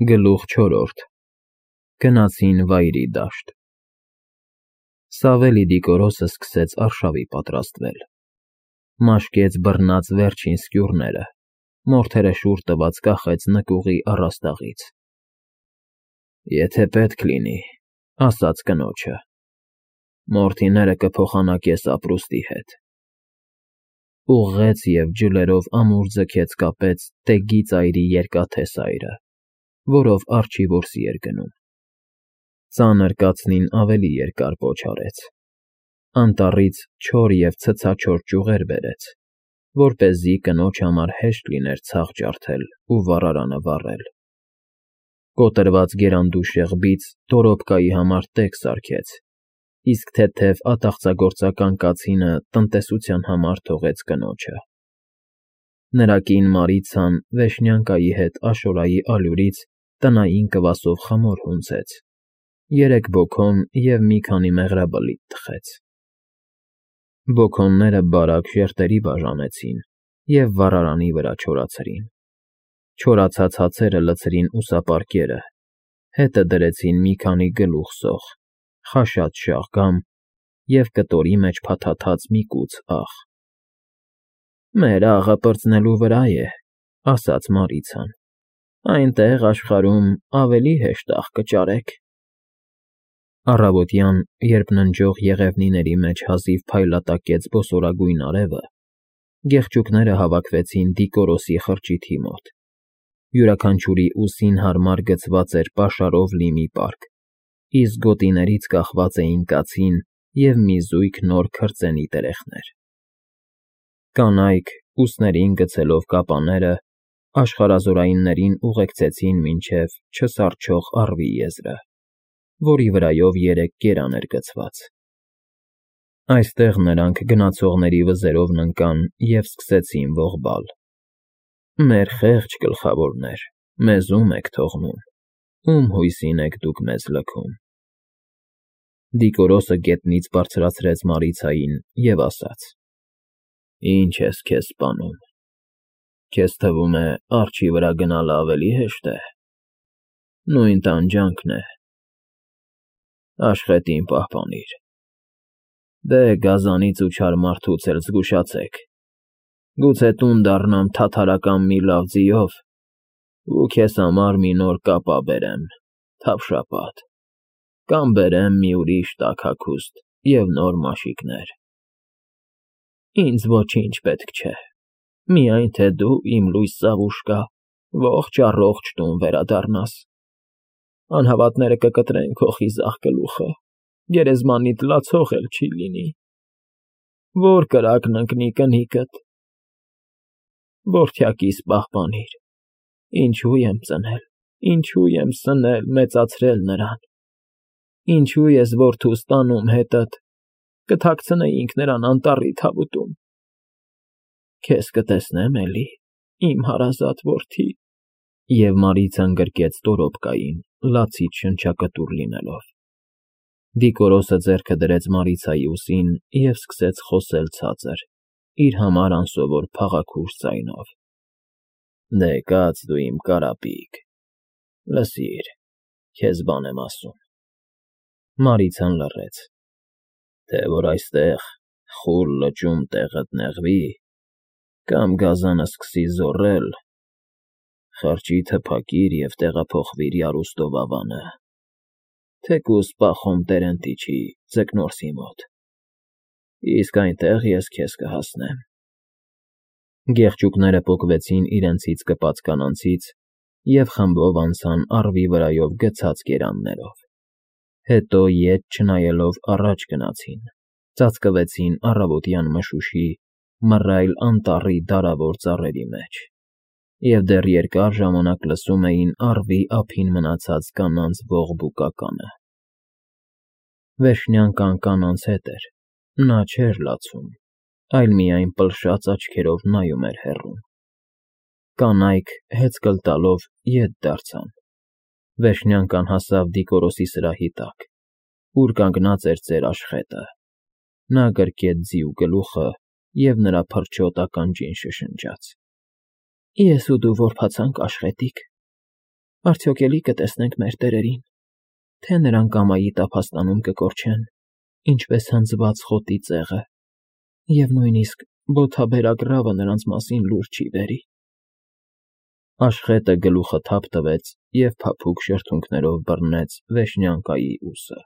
Գլուխ 4 Գնացին վայրի դաշտ։ Սավելի Դիկորոսը սկսեց արշավի պատրաստվել։ Մաշկեց բռնած վերջին սկյուռները, մորթերը շուռ տված կախեց նկուղի առաստաղից։ Եթե պետք լինի, ասաց կնոջը, մորթիները կփոխանակես ապրուստի հետ։ Ուղղեց և ջլերով ամուր ձգեց կապեց տեգի ծայրի երկաթե սայրը, որով արջի որսի էր գնում։ Ծանր կացնին ավելի երկար պոչ արեց, անտառից չոր և ցցաչոր ճյուղեր բերեց, որպեսզի կնոջ համար հեշտ լիներ ցախ ջարդել ու վառարանը վառել։ Կոտրված գերանդու շեղբից դորոպկայի համար տեգ սարքեց, իսկ թեթև ատաղծագործական կացինը տնտեսության համար թողեց կնոջը։ Նրա կին Մարիցան Վեշնյանկայի հետ Աշորայի ալյուրից տնային կվասով խմոր հունձեց, 3 բոքոն և մի քանի մեղրաբլիթ թխեց։ Բոքոնները բարակ ժերտերի բաժանեցին և վառարանի վրա չորացրին։ Չորացած հացերը լցրին ուսապարկերը, հետը դրեցին մի քանի գլուխ սոխ, խաշած շաղգամ և կտորի մեջ փաթաթած մի կուց աղ։ Մեր աղը պրծնելու վրա է, ասաց Մարիցան, այնտեղ աշխարհում ավելի հեշտ աղ կճարեք։ Առավոտյան, երբ ննջող եղևնիների մեջ հազիվ փայլատակեց բոսորագույն արևը, գեղչուկները հավաքվեցին Դիկորոսի խրճիթի մոտ։ Յուրաքանչյուրի ուսին հարմար գցված էր պաշարով լի մի պարկ, իսկ գոտիներից կախված էին կացին և մի զույգ նոր քրծենի տերևներ։ Կանայք, ուսներին գցելով կապաները, աշխարհազորայիններին ուղեկցեցին մինչև չսառչող առվի եզրը, որի վրայով 3 գերան էր գցված։ Այստեղ նրանք գնացողների վզերով ընկան և սկսեցին ողբալ. Մեր խեղճ գլխավորներ, մեզ ո՞ւմ եք թողնում, ո՞ւմ հույսին եք դուք մեզ լքում։ Դիկորոսը գետնից բարձրացրեց Մարիցային և ասաց. Ինչ ես քեզ սպանում, քեզ թվում է արջի վրա գնալը ավելի հեշտ է։ Նույն տանջանքն է։ Աշխետին պահպանիր։ Դե գազանից ու չար մարդուց էլ զգուշացեք, գուցե տուն դառնամ թաթարական մի լավ ձիով ու քեզ համար մի նոր կապա բերեմ, թավշապատ, կամ բերեմ մի ուրիշ տաք հագուստ և նոր մաշիկներ։ Ինձ ոչինչ պետք չէ, միայն թե դու իմ լույս Սավուշկա ողջ առողջ տուն վերադառնաս։ Անհավատները կկտրեն քո խիզախ գլուխը, գերեզմանիդ լացող էլ չի լինի։ Որ կրակն ընկնի կնիկդ։ Որդյակիս պահպանիր, ինչու եմ ծնել, ինչու եմ սնել, մեծացրել նրան, ինչու ես որդուս տանում հետդ, կթաքցնեինք նրան անտառի թավուտում։ Քեզ կտեսնեմ էլի, իմ հարազատ որդի։ Եվ Մարիցան գրկեց դորոպկային, լացից շնչակտուր լինելով։ Դիկորոսը ձեռքը դրեց Մարիցայի ուսին և սկսեց խոսել ցածր, իր համար անսովոր փաղաքուր ձայնով. Դե կաց դու իմ կարապիկ, լսիր, քեզ բան եմ ասում։ Մարիցան լռեց։ Թե որ այստեղ խուլ լճում տեղդ նեղվի, կամ գազանը սկսի զոռել, խրճիթը փակիր և տեղափոխվիր Յարուստով ավանը, թեկուզ Պախոմ Տերենտիչի Ձկնորսի մոտ, իսկ այնտեղ ես քեզ կհասնեմ։ Գեղչուկները պոկվեցին իրենցից կպած կանանցից և խմբով անցան առվի վրայով գցած գերաններով, հետո ետ չնայելով առաջ գնացին, ծածկվեցին առավոտյան մշուշի, մռայլ անտառի դարավոր ծառերի մեջ և դեռ երկար ժամանակ լսում էին առվի ափին մնացած կանանց ողբուկականը։ Վեշնյանկան կանանց հետ էր, նա չէր լացում, այլ միայն պլշած աչքերով նայում էր հեռուն։ Կանայք հեծկլ տալով ետ դարձան։ Վեշնյանկան հասավ Դիկորոսի սրահի տակ, ուր կանգնած էր ծեր աշխետը։ Նա գրկեց ձիու գլուխը և նրա փրչոտ ականջին շշնջաց. Ես ու դու որբացանք, աշխետիկ։ Արդյոք էլի կտեսնենք մեր տերերին, թե նրանք ամայի տափաստանում կկորչեն, ինչպես հնձված խոտի ծեղը, և նույնիսկ բոթաբերակ ռավը նրանց մասին լուր չի բերի… Աշխետը գլուխը թափ տվեց և փափուկ շրթունքներով բռնեց Վեշնյակայի ուսը։